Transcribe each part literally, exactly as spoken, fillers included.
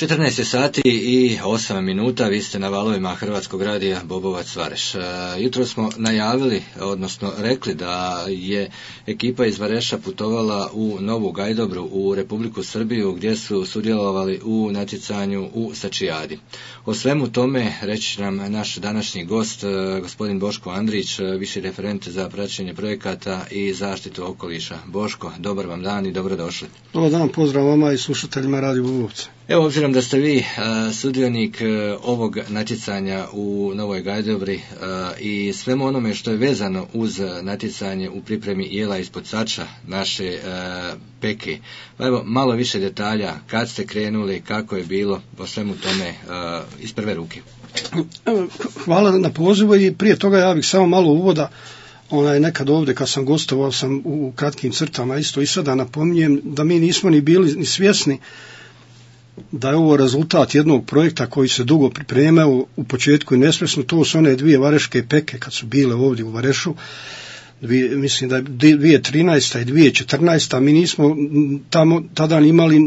četrnaest je sati i osam minuta, vi ste na valovima Hrvatskog radija Bobovac Vareš. Jutro smo najavili, odnosno rekli da je ekipa iz Vareša putovala u Novu Gajdobru u Republiku Srbiju gdje su sudjelovali u natjecanju u Sačijadi. O svemu tome reći nam naš današnji gost, gospodin Boško Andrić, viši referent za praćenje projekata i zaštitu okoliša. Boško, dobar vam dan i dobrodošli. Dobar dan, pozdrav vama i slušateljima Radio Bobovca. Evo, obzirom da ste vi a, sudionik a, ovog natjecanja u Novoj Gajdobri a, i svemu onome što je vezano uz natjecanje u pripremi jela ispod sača naše a, peke, pa evo malo više detalja, kad ste krenuli, kako je bilo, po svemu tome a, iz prve ruke. Hvala na pozivu i prije toga ja bih samo malo uvoda. Onaj, nekad ovdje kad sam gostovao sam u kratkim crtama isto i sada napominjem da mi nismo ni bili ni svjesni da je ovo rezultat jednog projekta koji se dugo pripremao u početku i nesvjesno. To su one dvije vareške peke kad su bile ovdje u Varešu, dvije, mislim da je dvije tisuće trinaesta i dvije tisuće četrnaesta. Mi nismo tamo tada imali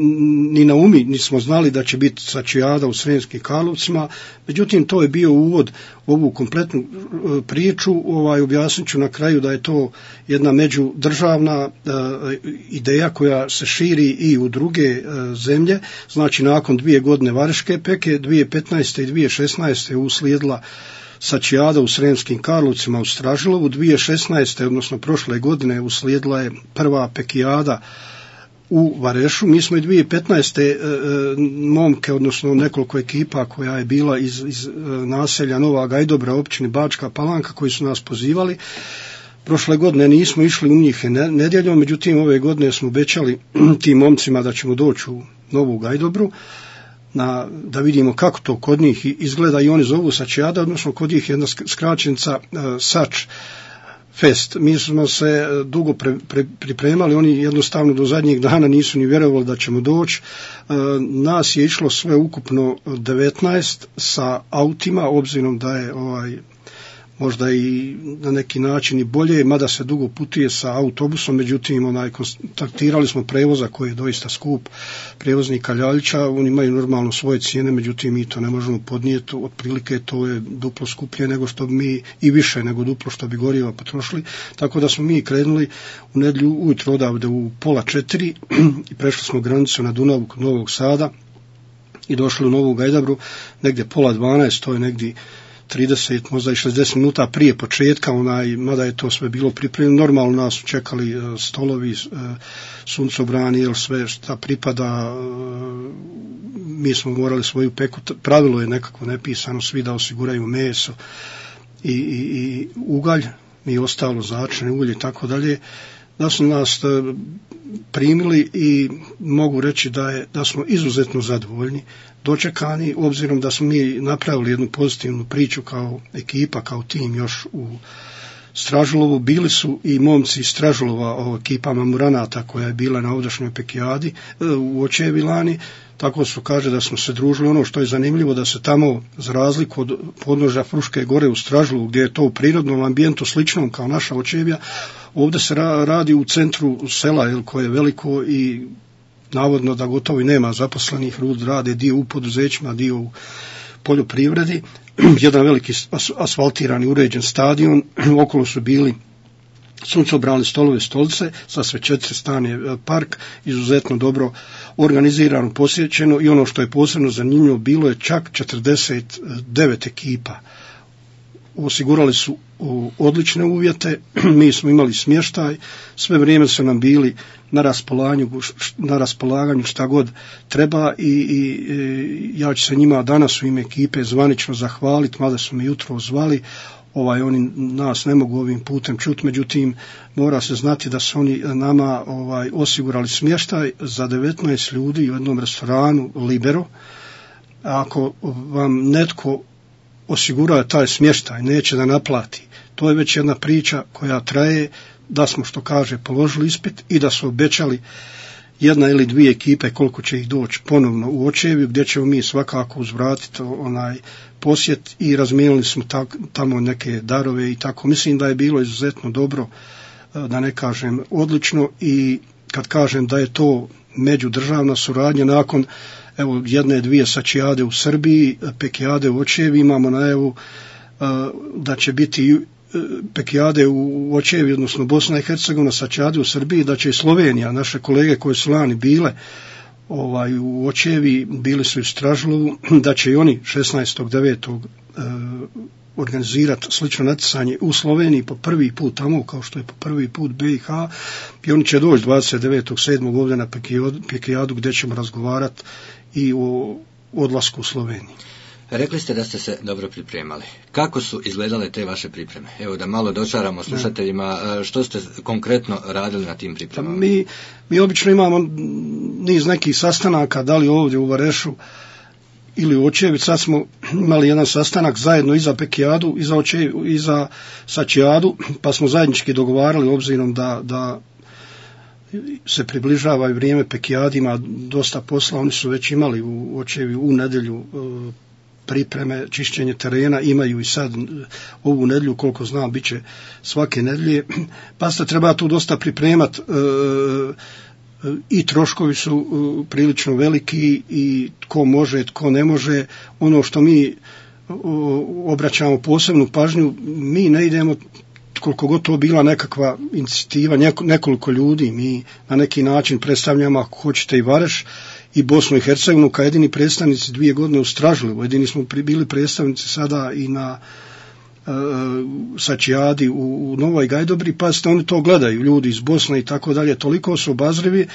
ni na umi, nismo znali da će biti Sačijada u Sremskim Karlovcima, međutim to je bio uvod u ovu kompletnu priču. Ovaj, objasnit ću na kraju da je to jedna međudržavna uh, ideja koja se širi i u druge uh, zemlje. Znači nakon dvije godine vareške peke, dvije tisuće petnaeste i dvije tisuće šesnaeste je uslijedila Sačijada u Sremskim Karlovcima u Stražilovu. dvije tisuće šesnaeste, odnosno prošle godine, uslijedila je prva pekijada u Varešu. Mi smo i dvije tisuće petnaeste e, momke, odnosno nekoliko ekipa koja je bila iz, iz naselja Nova Gajdobra, općini Bačka Palanka, koji su nas pozivali. Prošle godine nismo išli u njih nedjeljom, međutim ove godine smo obećali tim momcima da ćemo doći u Novu Gajdobru, Na, da vidimo kako to kod njih izgleda i oni zovu Sačijada, odnosno kod njih jedna skraćenica uh, Sač Fest. Mi smo se dugo pre, pre, pripremali, oni jednostavno do zadnjih dana nisu ni vjerovali da ćemo doći. Uh, nas je išlo sve ukupno devetnaest sa autima, obzirom da je ovaj možda i na neki način i bolje, mada se dugo putuje sa autobusom, međutim onaj, kontaktirali smo prevoza koji je doista skup, prijevoznika Ljaljića, oni imaju normalno svoje cijene, međutim mi to ne možemo podnijeti, otprilike to je duplo skuplje nego što bi mi, i više nego duplo što bi goriva potrošili, tako da smo mi krenuli u nedjelju ujutro odavde u pola četiri i prešli smo granicu na Dunavu kod Novog Sada i došli u Novu Gajdobru negdje pola dvanaest, to je negdje trideset, možda i šezdeset minuta prije početka, onaj, mada je to sve bilo pripremljeno. Normalno nas su čekali uh, stolovi, uh, suncobrani, jer sve šta pripada, uh, mi smo morali svoju peku, pravilo je nekako nepisano, svi da osiguraju meso i, i, i ugalj, i ostalo začine ulje i tako dalje. Da su nas uh, primili i mogu reći da, je, da smo izuzetno zadovoljni, dočekani, obzirom da smo mi napravili jednu pozitivnu priču kao ekipa, kao tim još u Stražilovu. Bili su i momci iz Stražilova, o ekipa Mamuranata koja je bila na ovdašnjoj pekijadi u Očevilani, tako su kaže da smo se družili. Ono što je zanimljivo da se tamo, za razliku od podnožja Fruške gore u Stražilovu, gdje je to u prirodnom ambijentu sličnom kao naša Očevija, ovdje se radi u centru sela, jel, koje je veliko i navodno da gotovo i nema zaposlenih, ljudi rade dio u poduzećima, dio u poljoprivredi, jedan veliki asfaltirani uređen stadion, okolo su bili suncobrani stolove, stolice, sa sve četiri strane park, izuzetno dobro organizirano, posjećeno, i ono što je posebno zanimljivo, bilo je čak četrdeset devet ekipa. Osigurali su odlične uvjete, mi smo imali smještaj, sve vrijeme su nam bili na raspolaganju, na raspolaganju šta god treba i, i, i ja ću se njima danas u ime ekipe zvanično zahvaliti, mada su me jutro zvali, ovaj, oni nas ne mogu ovim putem čuti, međutim mora se znati da su oni nama ovaj, osigurali smještaj za devetnaest ljudi u jednom restoranu Libero. Ako vam netko osigurao taj smještaj, neće da naplati, to je već jedna priča koja traje, da smo, što kaže, položili ispit i da su obećali jedna ili dvije ekipe koliko će ih doći ponovno u Očeviju, gdje ćemo mi svakako uzvratiti onaj posjet, i razmijenili smo tak, tamo neke darove i tako. Mislim da je bilo izuzetno dobro, da ne kažem odlično, i kad kažem da je to međudržavna suradnja, nakon evo jedne, dvije sačijade u Srbiji, pekijade u Očevi, imamo najavu da će biti pekijade u Očevi, odnosno Bosna i Hercegovina, sačijade u Srbiji, da će i Slovenija, naše kolege koje su lani bile ovaj, u Očevi, bili su i u Stražlovu, da će i oni šesnaestog devetog organizirati slično natjecanje u Sloveniji po prvi put tamo, kao što je po prvi put B i H, i oni će doći dvadeset devetog sedmog ovdje na Pekijadu, gdje ćemo razgovarati i o odlasku u Sloveniji. Rekli ste da ste se dobro pripremali. Kako su izgledale te vaše pripreme? Evo da malo dočaramo slušateljima, što ste konkretno radili na tim pripremama? Mi, mi obično imamo niz nekih sastanaka, da li ovdje u Varešu ili u Očevi. Sad smo imali jedan sastanak zajedno i za Pekijadu i za, Očevi, i za Sačijadu, pa smo zajednički dogovarali, obzirom da, da se približava i vrijeme Pekijadima, dosta posla, oni su već imali u Očevi u nedjelju pripreme, čišćenje terena, imaju i sad ovu nedjelju, koliko znam, bit će svake nedjelje, pa se treba tu dosta pripremati, i troškovi su prilično veliki i tko može, tko ne može. Ono što mi obraćamo posebnu pažnju, mi ne idemo, koliko god to bila nekakva inicijativa, nekoliko ljudi, mi na neki način predstavljamo, ako hoćete, i Vareš i Bosnu i Hercegovinu kao jedini predstavnici dvije godine u Stražlevu. Jedini smo bili predstavnici sada i na uh, Sačijadi u, u Novoj Gajdobri, pa ste oni to gledaju, ljudi iz Bosne i tako dalje, toliko su obazrivi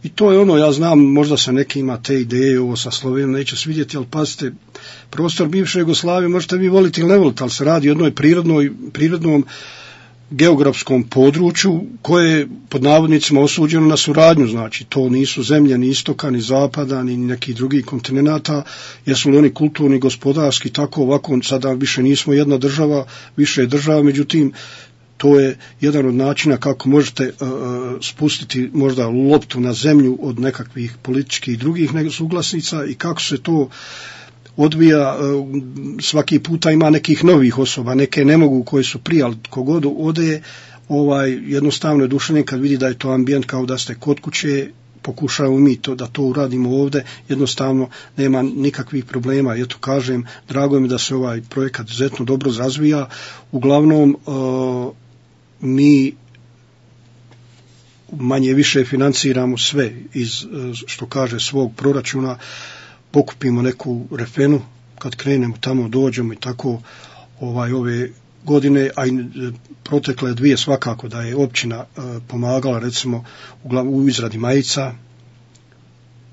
i to je ono, ja znam, možda se neki ima te ideje, ovo sa Slovenijom neće svidjeti, ali pazite, prostor bivše Jugoslavije možete vi voliti ili ne voliti, ali se radi o jednoj prirodnoj, prirodnom geografskom području koje je pod navodnicima osuđeno na suradnju, znači to nisu zemlje ni istoka, ni zapada, ni nekih drugih kontinenata, jesu li oni kulturni, gospodarski, tako ovako, sada više nismo jedna država, više je država, međutim to je jedan od načina kako možete uh, spustiti možda loptu na zemlju od nekakvih političkih i drugih suglasnica i kako se to odvija. Svaki puta ima nekih novih osoba, neke ne mogu koje su prije, ali kogod ode, ovaj, jednostavno je duševni kad vidi da je to ambijent kao da ste kod kuće, pokušavamo mi to, da to uradimo ovdje, jednostavno nema nikakvih problema. Eto kažem, drago mi da se ovaj projekat izuzetno dobro razvija. Uglavnom uh, mi manje više financiramo sve iz, što kaže, svog proračuna, pokupimo neku refenu, kad krenemo tamo, dođemo i tako ovaj ove godine, a i protekle dvije svakako da je općina e, pomagala, recimo u, u izradi majica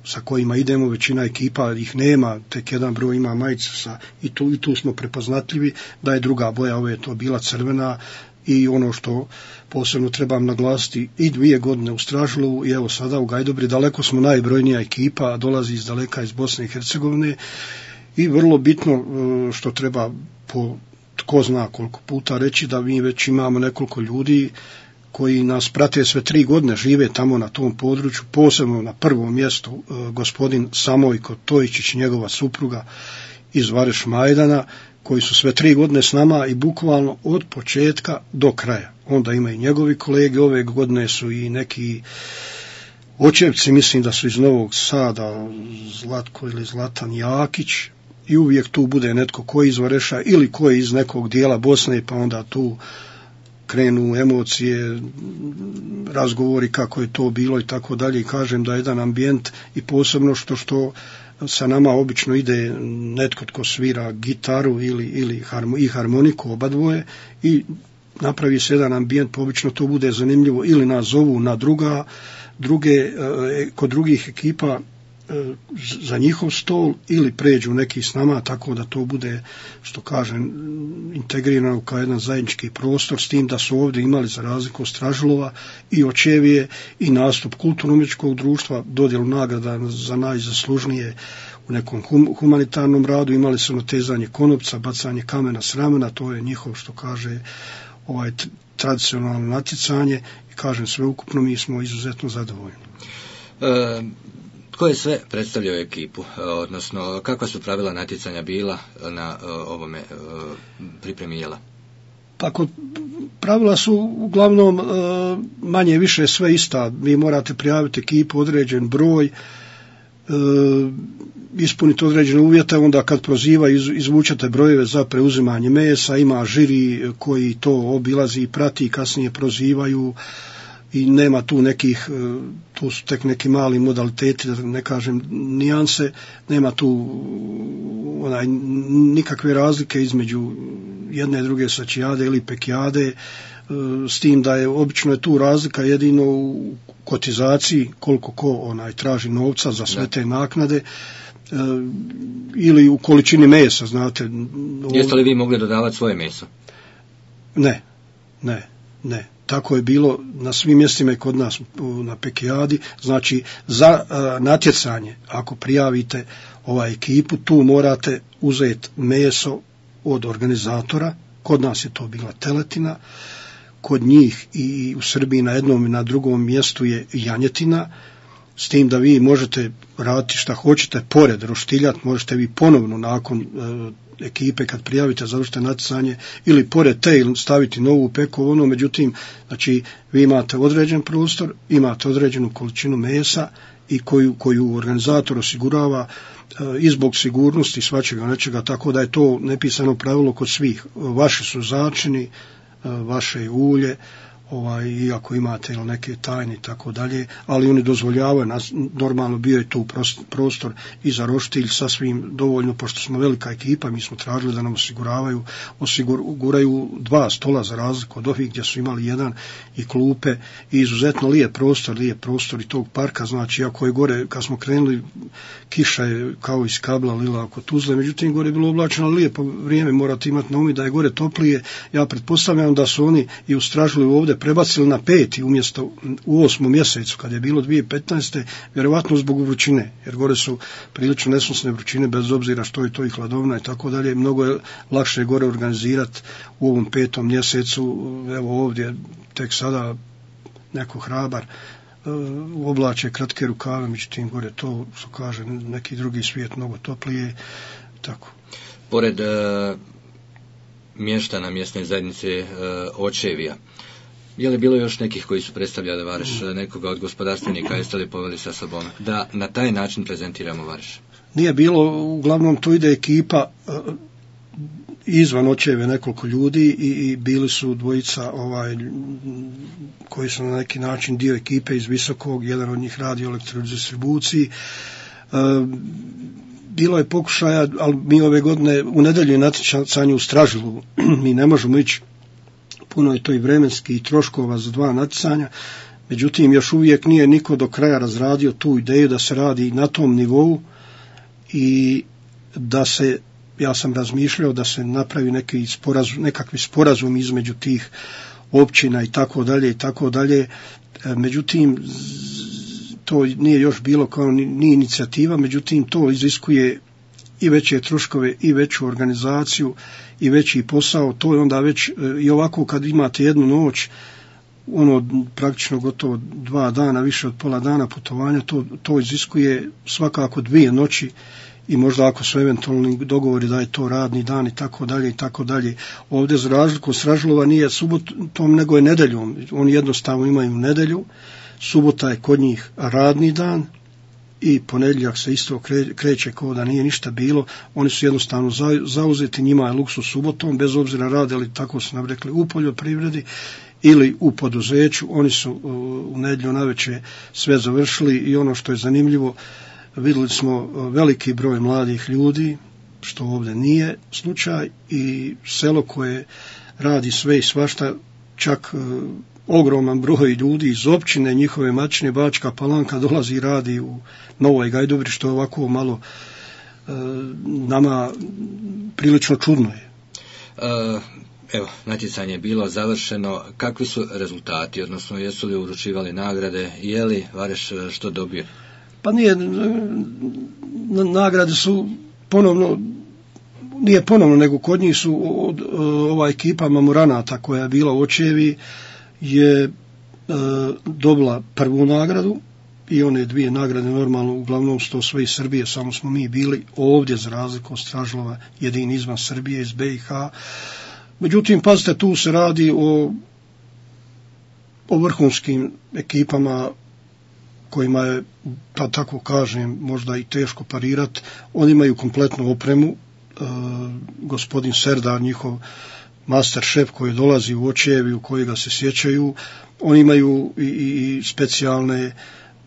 sa kojima idemo, većina ekipa ih nema, tek jedan broj ima majicu sa, i, tu, i tu smo prepoznatljivi, da je druga boja, ove je to bila crvena. I ono što posebno trebam naglasiti, i dvije godine u Stražlovu i evo sada u Gajdobri, daleko smo najbrojnija ekipa, dolazi iz daleka iz Bosne i Hercegovine i vrlo bitno što treba po tko zna koliko puta reći, da mi već imamo nekoliko ljudi koji nas prate sve tri godine, žive tamo na tom području, posebno na prvom mjestu gospodin Samojko Tojičić, njegova supruga iz Vareš Majdana, koji su sve tri godine s nama i bukvalno od početka do kraja. Onda ima i njegovi kolege, ove godine su i neki Očevci, mislim da su iz Novog Sada, Zlatko ili Zlatan Jakić, i uvijek tu bude netko koji iz Vareša ili koji iz nekog dijela Bosne, pa onda tu krenu emocije, razgovori kako je to bilo i tako dalje, i kažem da je jedan ambijent i posebno što što sa nama obično ide netko tko svira gitaru ili, ili harmo, i harmoniku, oba dvoje, i napravi se jedan ambijent, pa obično to bude zanimljivo, ili nas zovu na druga, druge, kod drugih ekipa za njihov stol, ili pređu neki s nama, tako da to bude, što kažem, integrirano kao jedan zajednički prostor, s tim da su ovdje imali, za razliku od Stražlova i Očevije, i nastup kulturno-umjetničkog društva, dodjelu nagrada za najzaslužnije u nekom hum, humanitarnom radu, imali su natezanje konopca, bacanje kamena s ramena, to je njihov, što kaže, ovaj tradicionalno natjecanje, i kažem, sveukupno mi smo izuzetno zadovoljni. E... Tko je sve predstavljao ekipu, odnosno kakva su pravila natjecanja bila na ovome pripremi jela? Tako, pravila su uglavnom manje više sve ista. Vi morate prijaviti ekipu, određen broj. ispuniti određene uvjete, onda kad proziva iz, izvučete brojeve za preuzimanje mesa, ima žiri koji to obilazi i prati, kasnije prozivaju i nema tu nekih, tu su tek neki mali modaliteti, da ne kažem nijanse, nema tu onaj, nikakve razlike između jedne i druge sačijade ili pekijade, s tim da je obično je tu razlika jedino u kotizaciji, koliko ko onaj traži novca za sve te naknade, e, ili u količini mesa, znate. Jeste li vi mogli dodavati svoje meso? Ne, ne, ne. Tako je bilo na svim mjestima i kod nas na pekijadi. Znači, za a, natjecanje, ako prijavite ovaj ekipu, tu morate uzeti meso od organizatora. Kod nas je to bila teletina, kod njih i u Srbiji na jednom i na drugom mjestu je janjetina, s tim da vi možete raditi šta hoćete, pored roštiljat, možete vi ponovno nakon e, ekipe kad prijavite završite natjecanje ili pored te staviti novu peku, ono, međutim, znači vi imate određen prostor, imate određenu količinu mesa i koju, koju organizator osigurava e, i zbog sigurnosti svačega nečega, tako da je to nepisano pravilo kod svih. Vaši su začini, vaše ulje, ovaj, iako imate ili neke tajne i tako dalje, ali oni dozvoljavaju, nas, normalno bio je tu prostor i za roštilj sasvim dovoljno, pošto smo velika ekipa, mi smo tražili da nam osiguravaju, osiguraju dva stola za razliku od ovih gdje su imali jedan i klupe i izuzetno lijep prostor, lijep prostor i tog parka, znači ako je gore, kad smo krenuli, kiša je kao iz kabla lila oko Tuzle, međutim gore je bilo oblačeno lijepo vrijeme, morate imati na umi da je gore toplije, ja pretpostavljam da su oni i ustražili ovdje prebacili na peti umjesto u osmom mjesecu kad je bilo dvije tisuće petnaeste. Vjerovatno zbog vrućine, jer gore su prilično nesnosne vrućine bez obzira što je to i hladovna i tako dalje. Mnogo je lakše gore organizirati u ovom petom mjesecu. Evo ovdje tek sada neko hrabar u oblače kratke rukave, međutim gore to što kaže neki drugi svijet mnogo toplije. Tako. Pored uh, mještana mjesne zajednice uh, Očevija, je li bilo još nekih koji su predstavljali Vareš, nekoga od gospodarstvenika, jeste li poveli sa sobom da na taj način prezentiramo Vareš? Nije bilo, uglavnom tu ide ekipa uh, izvan Očeve nekoliko ljudi i, i bili su dvojica ovaj, koji su na neki način dio ekipe iz Visokog, jedan od njih radi u elektrodistribuciji. Uh, bilo je pokušaja, ali mi ove godine u nedjelju natjecanje u Stražilu, mi ne možemo ići, puno je to i vremenski i troškova za dva natjecanja, međutim još uvijek nije niko do kraja razradio tu ideju da se radi na tom nivou i da se, ja sam razmišljao da se napravi neki sporazum, nekakvi sporazum između tih općina i tako dalje i tako dalje, međutim to nije još bilo kao ni, ni inicijativa, međutim to iziskuje i veće troškove i veću organizaciju i veći posao, to je onda već i ovako kad imate jednu noć, ono praktično gotovo dva dana, više od pola dana putovanja, to, to iziskuje svakako dvije noći i možda ako su eventualni dogovori da je to radni dan i tako dalje i tako dalje. Ovdje za razliku Stražilova nije subotom nego je nedeljom, oni jednostavno imaju nedelju, subota je kod njih radni dan i ponedjeljak se isto kreće kao da nije ništa bilo, oni su jednostavno zauzeti, njima je luksuz subotom, bez obzira rade li, tako su nam rekli, u poljoprivredi ili u poduzeću, oni su u nedjelju navečer sve završili i ono što je zanimljivo, vidjeli smo veliki broj mladih ljudi, što ovdje nije slučaj, i selo koje radi sve i svašta, čak ogroman broj ljudi iz općine, njihove matične, Bačka Palanka, dolazi i radi u Novoj Gajdobri, što je ovako malo e, nama prilično čudno je. E, evo, natjecanje je bilo završeno. Kakvi su rezultati, odnosno jesu li uručivali nagrade, je li Vareš što dobio? Pa nije, nagrade su ponovno, nije ponovno, nego kod njih su od, ova ekipa mamuranata koja je bila u Očevi je e, dobila prvu nagradu i one dvije nagrade normalno uglavnom su to sve iz Srbije, samo smo mi bili ovdje za razliku od Stražilova jedini izvan Srbije, iz B i H. Međutim, pazite, tu se radi o, o vrhunskim ekipama kojima je, pa tako kažem, možda i teško parirati. Oni imaju kompletnu opremu, e, gospodin Serdar, njihov master šef koji dolazi u Očevi, u koji ga se sjećaju, oni imaju i, i specijalne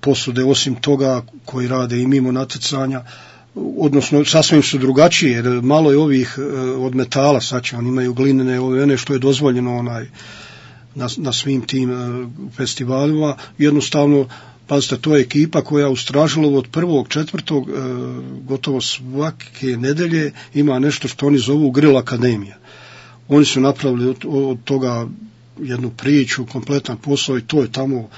posude, osim toga koji rade i mimo natjecanja, odnosno sasvim su drugačije, jer malo je ovih od metala, sad će, oni imaju glinene, one što je dozvoljeno onaj na, na svim tim festivalima. Jednostavno, pazite, to je ekipa koja u Stražilovu od prvog, četvrtog, gotovo svake nedelje ima nešto što oni zovu Grill Akademija. Oni su napravili od, od toga jednu priču, kompletan posao i to je tamo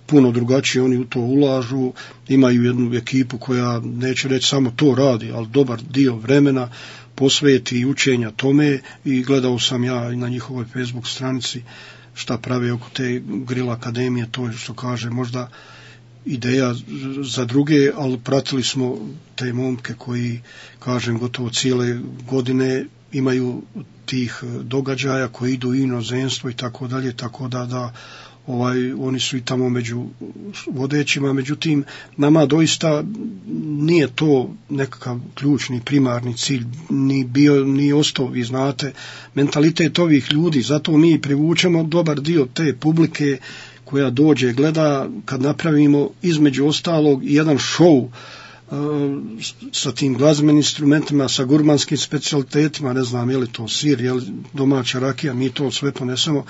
puno drugačije, oni u to ulažu, imaju jednu ekipu koja, neće reći samo to radi, ali dobar dio vremena posveti učenja tome i gledao sam ja i na njihovoj Facebook stranici šta prave oko te Grill Akademije, to je što kaže možda ideja za druge, ali pratili smo te momke koji, kažem, gotovo cijele godine imaju tih događaja koji idu u inozemstvo i tako dalje, tako da, da ovaj, oni su i tamo među vodećima, međutim nama doista nije to nekakav ključni, primarni cilj, ni bio, ni ostao, vi znate, mentalitet ovih ljudi, zato mi privučemo dobar dio te publike koja dođe, gleda, kad napravimo između ostalog jedan show sa tim glazbenim instrumentima, sa gurmanskim specijalitetima, ne znam je li to sir, je li domaća rakija, mi to sve ponesemo,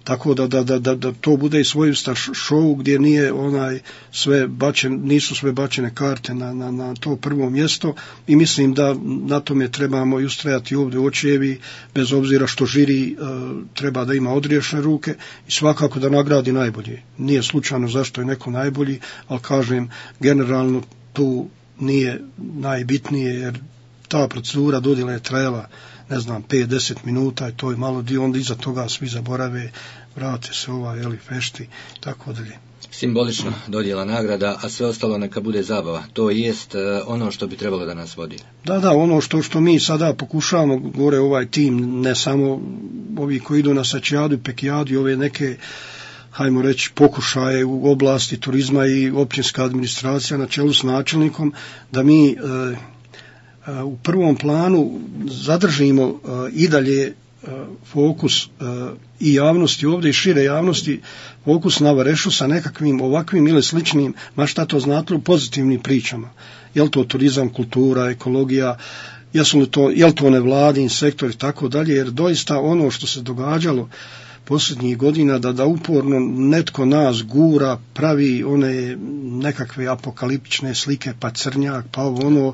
tako da, da, da, da, da to bude i svojevrstan show gdje nije onaj sve bačen, nisu sve bačene karte na, na, na to prvo mjesto i mislim da na tome trebamo i ustrajati ovdje u Očevi, bez obzira što žiri uh, treba da ima odriješene ruke i svakako da nagradi najbolje. Nije slučajno zašto je neko najbolji, ali kažem, generalno tu nije najbitnije, jer ta procedura dodjela je trajala, ne znam, pet do deset minuta i to je malo dio, onda iza toga svi zaborave, vrate se ova, jeli, fešti, tako dalje. Simbolično dodjela nagrada, a sve ostalo neka bude zabava. To jest ono što bi trebalo da nas vodi. Da, da, ono što, što mi sada pokušavamo, gore ovaj tim, ne samo ovi koji idu na Sačijadu i Pekijadu i ove neke, hajmo reći, pokušaje u oblasti turizma i općinska administracija na čelu s načelnikom, da mi e, u prvom planu zadržimo uh, i dalje uh, fokus uh, i javnosti ovdje i šire javnosti, fokus na Varešu sa nekakvim ovakvim ili sličnim, ma šta to znatno, pozitivnim pričama. Je li to turizam, kultura, ekologija, jesu li to, je li to nevladin sektor i tako dalje, jer doista ono što se događalo posljednjih godina, da, da uporno netko nas gura, pravi one nekakve apokaliptične slike, pa crnjak, pa ono,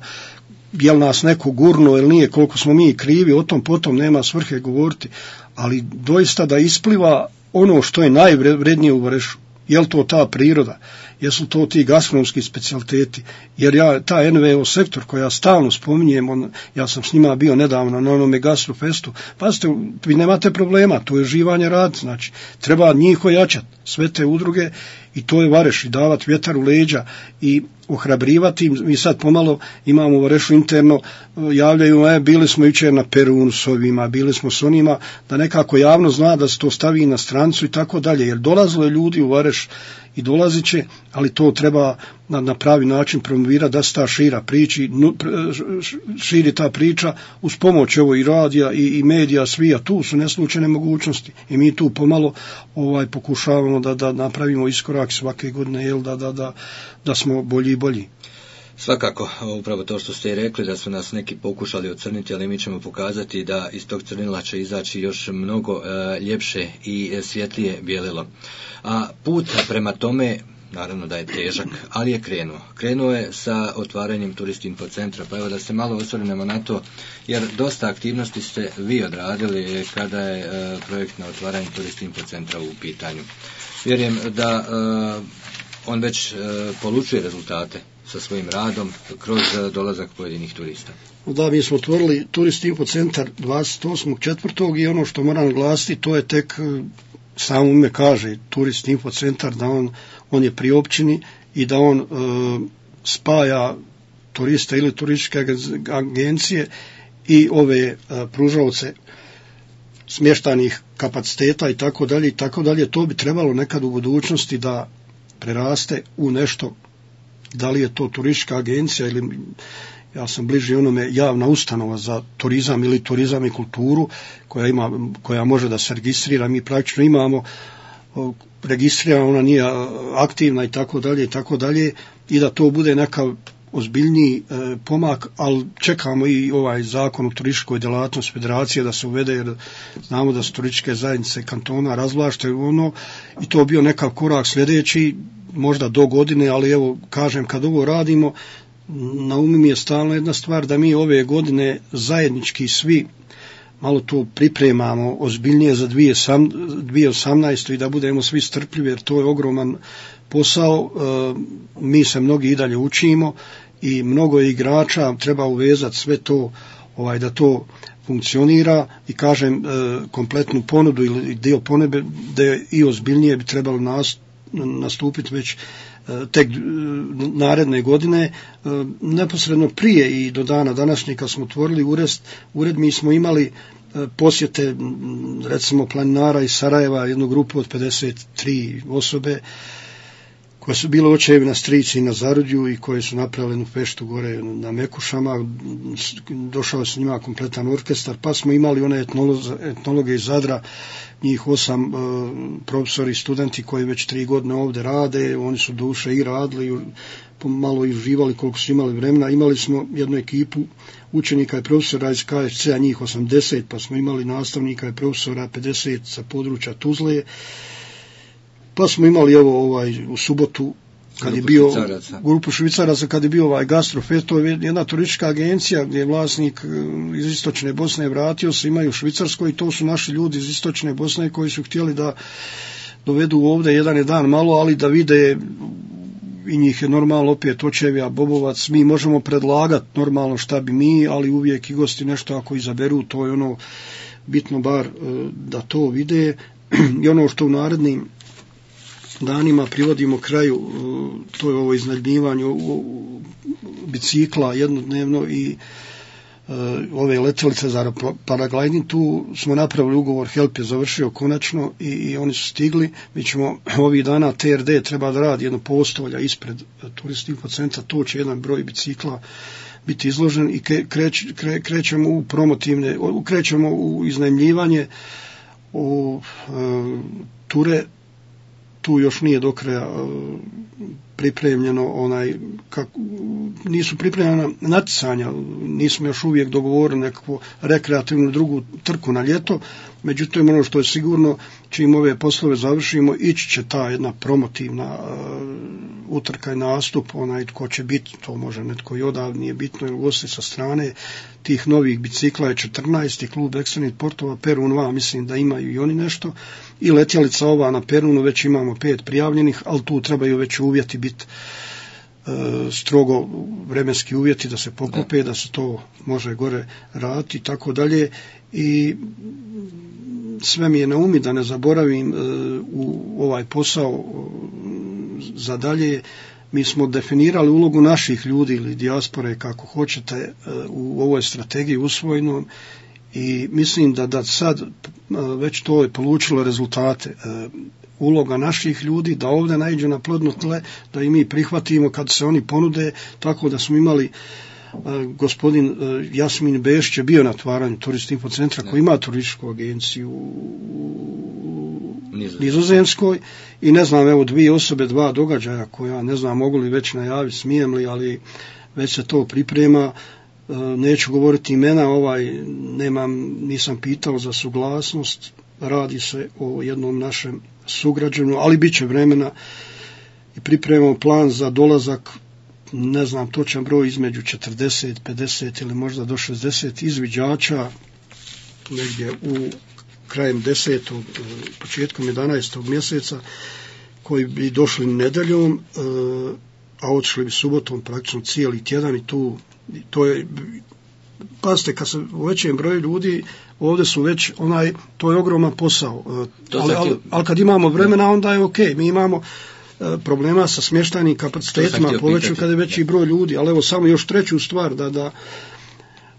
jel nas neko gurno ili nije, koliko smo mi krivi, o tom potom nema svrhe govoriti, ali doista da ispliva ono što je najvrednije u Varešu. Je li to ta priroda, jesu to ti gastronomski specijaliteti, jer ja, ta en ve o sektor koja ja stalno spominjem, on, ja sam s njima bio nedavno na onome gastrofestu, pazite, vi nemate problema, to je živanje rad, znači, treba njih ojačati, sve te udruge, i to je Vareš, i davati vjetar u leđa i ohrabrivati. Mi sad pomalo imamo u Varešu interno, javljaju, e, bili smo jučer na Perunu s ovima, bili smo s onima, da nekako javno zna da se to stavi na strancu i tako dalje, jer dolazilo je ljudi u Vareš i dolazit će, ali to treba na, na pravi način promovirati, da se ta šira priči, nu, širi ta priča uz pomoć evo i radija i, i medija, svi, a tu su neslučajne mogućnosti i mi tu pomalo ovaj, pokušavamo da, da napravimo iskorak svake godine, jel, da, da, da, da smo bolji i bolji. Svakako, upravo to što ste i rekli, da su nas neki pokušali ocrniti, ali mi ćemo pokazati da iz tog crnila će izaći još mnogo e, ljepše i svjetlije bijelilo. A put prema tome, naravno da je težak, ali je krenuo. Krenuo je sa otvaranjem Turistinfo centra, pa evo da se malo osvrnemo na to, jer dosta aktivnosti ste vi odradili kada je e, projekt na otvaranju Turistinfo centra u pitanju. Vjerujem da e, on već e, polučuje rezultate sa svojim radom kroz dolazak pojedinih turista. Da, mi smo otvorili Turistinfo centar dvadeset osmog četvrtog i ono što moram glasiti, to je tek, samo ime kaže, Turistinfo centar, da on, on je pri općini i da on e, spaja turista ili turističke agencije i ove e, pružaoce smještajnih kapaciteta i tako dalje i tako dalje. To bi trebalo nekad u budućnosti da preraste u nešto, da li je to turistička agencija ili ja sam bliži onome javna ustanova za turizam ili turizam i kulturu koja ima, koja može da se registrira, mi praktično imamo registrirana, ona nije aktivna i tako dalje i tako dalje, i da to bude neka ozbiljniji e, pomak, ali čekamo i ovaj zakon o turističkoj djelatnosti federacije da se uvede, jer znamo da su turističke zajednice kantona razvlašte ono, i to bio nekav korak sljedeći, možda do godine, ali evo kažem, kad ovo radimo, na umu mi je stalno jedna stvar, da mi ove godine zajednički svi malo to pripremamo ozbiljnije za dvije tisuće osamnaestu i da budemo svi strpljivi, jer to je ogroman posao. Mi se mnogi i dalje učimo i mnogo igrača, treba uvezati sve to, ovaj, da to funkcionira, i kažem, kompletnu ponudu ili dio ponude da je i ozbiljnije bi trebalo nastupiti već tek naredne godine. Neposredno prije i do dana današnjeg kad smo otvorili ured, ured mi smo imali posjete recimo planinara iz Sarajeva, jednu grupu od pedeset tri osobe koje su bile očevi na Strici i na Zarudju i koje su napravili jednu feštu gore na Mekušama, došao s njima kompletan orkestar, pa smo imali one etnologe iz Zadra, njih osam e, profesori i studenti koji već tri godine ovdje rade, oni su duše i radili, malo i uživali koliko su imali vremena. Imali smo jednu ekipu učenika i profesora iz K F C-a, njih osamdeset, pa smo imali nastavnika i profesora pedeset sa područja Tuzle, pa smo imali evo ovaj u subotu kad je bio Švicaraca. grupu Švicaraca, kad je bio ovaj Gastrofest, to je jedna turistička agencija gdje je vlasnik iz Istočne Bosne vratio se, imaju u Švicarskoj, i to su naši ljudi iz Istočne Bosne koji su htjeli da dovedu ovdje jedan je dan malo, ali da vide, i njih je normalno opet očevija Bobovac, mi možemo predlagati normalno šta bi mi, ali uvijek i gosti nešto ako izaberu, to je ono bitno bar da to vide. I ono što u narednim danima privodimo kraju, to je ovo iznajmljivanje bicikla jednodnevno i ove letjelice za paragliding. Tu smo napravili ugovor, Help je završio konačno i, i oni su stigli. Mi ćemo ovih dana, T R D treba da radi jedno postolja ispred Turist Info centra, to će jedan broj bicikla biti izložen i kreć, kre, krećemo u promotivne, krećemo u iznajmljivanje, u e, ture. Tu još nije do kraja uh, pripremljeno onaj, kako, nisu pripremljena natjecanja, nismo još uvijek dogovorili nekakvu rekreativnu drugu trku na ljeto, međutim ono što je sigurno, čim ove poslove završimo, ići će ta jedna promotivna uh, utrka i nastup, onaj tko će biti, to može netko i odavde, nije bitno, ili gosti sa strane tih novih bicikla je četrnaest i klub ekstremnih sportova Perun dva, mislim da imaju i oni nešto, i letjelica ova na Perunu, već imamo pet prijavljenih, ali tu trebaju već uvjeti biti e, strogo vremenski uvjeti da se poklope, da se to može gore raditi i tako dalje. I sve mi je na umi da ne zaboravim e, u ovaj posao za dalje. Mi smo definirali ulogu naših ljudi ili dijaspore, kako hoćete, e, u ovoj strategiji usvojenom, i mislim da, da sad već to je polučilo rezultate. E, uloga naših ljudi da ovdje naiđu na plodno tle, da i mi prihvatimo kad se oni ponude, tako da smo imali e, gospodin e, Jasmin Bešić je bio na otvaranju Turist Info centra koji ima turističku agenciju u Nizozemskoj, i ne znam, evo dvije osobe, dva događaja koja ne znam mogu li već najaviti, smijem li, ali već se to priprema. Neću govoriti imena, ovaj, nemam, nisam pitao za suglasnost, radi se o jednom našem sugrađanu, ali bit će vremena i pripremamo plan za dolazak, ne znam točan broj, između četrdeset, pedeset ili možda do šezdeset izviđača negdje u krajem desetog, početkom jedanaestog mjeseca, koji bi došli nedeljom, a otišli bi subotom praktično cijeli tjedan, i tu to je, pazite, kad se u većem broju ljudi, ovdje su već onaj, to je ogroman posao, ali, ali, ali kad imamo vremena onda je ok, mi imamo problema sa smještajnim kapacitetima, poveću kad je veći broj ljudi, ali evo samo još treću stvar, da, da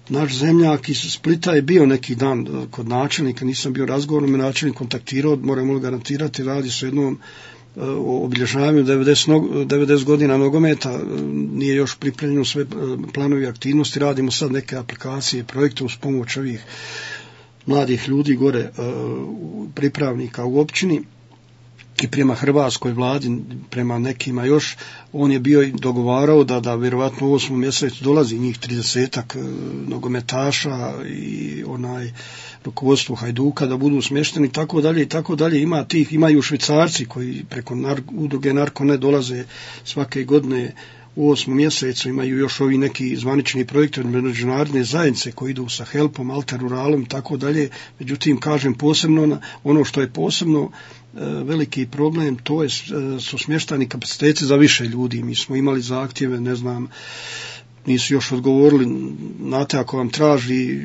naš zemljak iz Splita je bio neki dan kod načelnika, nisam bio razgovorno, me načelnik kontaktirao, moramo li garantirati, radi se o jednom obilježavanju devedeset godina nogometa, nije još pripremljeno sve planovi aktivnosti, radimo sad neke aplikacije, projekte uz pomoć ovih mladih ljudi gore, pripravnika u općini i prema hrvatskoj vladi, prema nekima još, on je bio i dogovarao da, da vjerovatno u osmom mjesecu dolazi njih tridesetak nogometaša i onaj rukovodstvo Hajduka da budu smješteni i tako dalje i tako dalje. Ima tih, imaju Švicarci koji preko nar, udruge Narko ne dolaze svake godine u osmom mjesecu, imaju još ovi neki zvanični projekti od međunarodne zajednice koji idu sa Helpom, Alter Ruralom i tako dalje. Međutim, kažem posebno, ono što je posebno veliki problem, to je, su smještani kapaciteti za više ljudi. Mi smo imali zahtjeve, ne znam, nisu još odgovorili, znate, ako vam traži